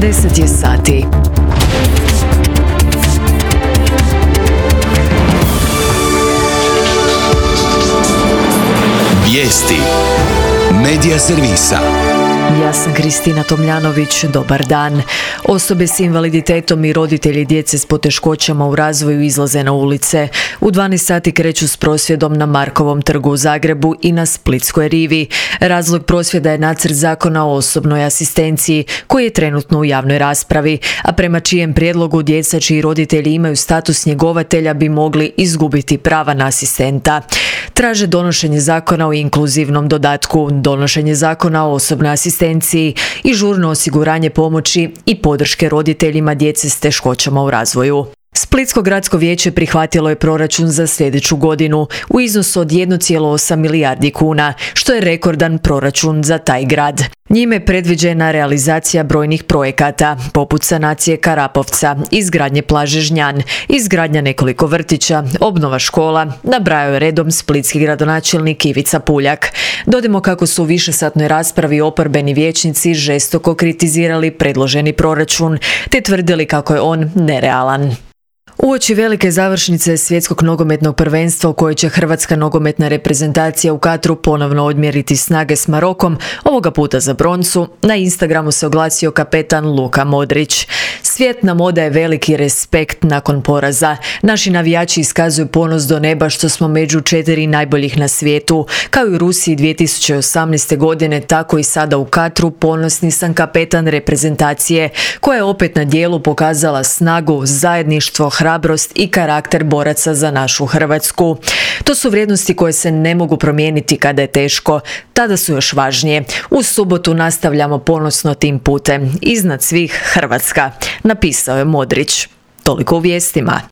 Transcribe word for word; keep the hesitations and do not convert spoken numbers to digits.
deset je sati. Vijesti Medija servisa. Ja sam Kristina Tomljanović, dobar dan. Osobe s invaliditetom i roditelji djece s poteškoćama u razvoju izlaze na ulice. U dvanaest sati kreću s prosvjedom na Markovom trgu u Zagrebu i na Splitskoj rivi. Razlog prosvjeda je nacrt zakona o osobnoj asistenciji, koji je trenutno u javnoj raspravi, a prema čijem prijedlogu djeca čiji roditelji imaju status njegovatelja bi mogli izgubiti prava na asistenta. Traže donošenje zakona o inkluzivnom dodatku, donošenje zakona o osobnoj asistenciji i žurno osiguranje pomoći i podrške roditeljima djece s teškoćama u razvoju. Splitsko gradsko vijeće prihvatilo je proračun za sljedeću godinu u iznosu od jedan zarez osam milijardi kuna, što je rekordan proračun za taj grad. Njime je predviđena realizacija brojnih projekata, poput sanacije Karapovca, izgradnje plaže Žnjan, izgradnja nekoliko vrtića, obnova škola, nabrajao je redom splitski gradonačelnik Ivica Puljak. Dodajmo kako su u višesatnoj raspravi oporbeni vijećnici žestoko kritizirali predloženi proračun, te tvrdili kako je on nerealan. Uoči velike završnice svjetskog nogometnog prvenstva u kojoj će hrvatska nogometna reprezentacija u Katru ponovno odmjeriti snage s Marokom, ovoga puta za broncu, na Instagramu se oglasio kapetan Luka Modrić. Svijet nam odaje veliki respekt nakon poraza. Naši navijači iskazuju ponos do neba što smo među četiri najboljih na svijetu. Kao i u Rusiji dvije tisuće osamnaeste. godine, tako i sada u Katru ponosni sam kapetan reprezentacije, koja je opet na djelu pokazala snagu, zajedništvo, hrabrost i karakter boraca za našu Hrvatsku. To su vrijednosti koje se ne mogu promijeniti kada je teško, tada su još važnije. U subotu nastavljamo ponosno tim putem. Iznad svih Hrvatska, napisao je Modrić. Toliko u vijestima.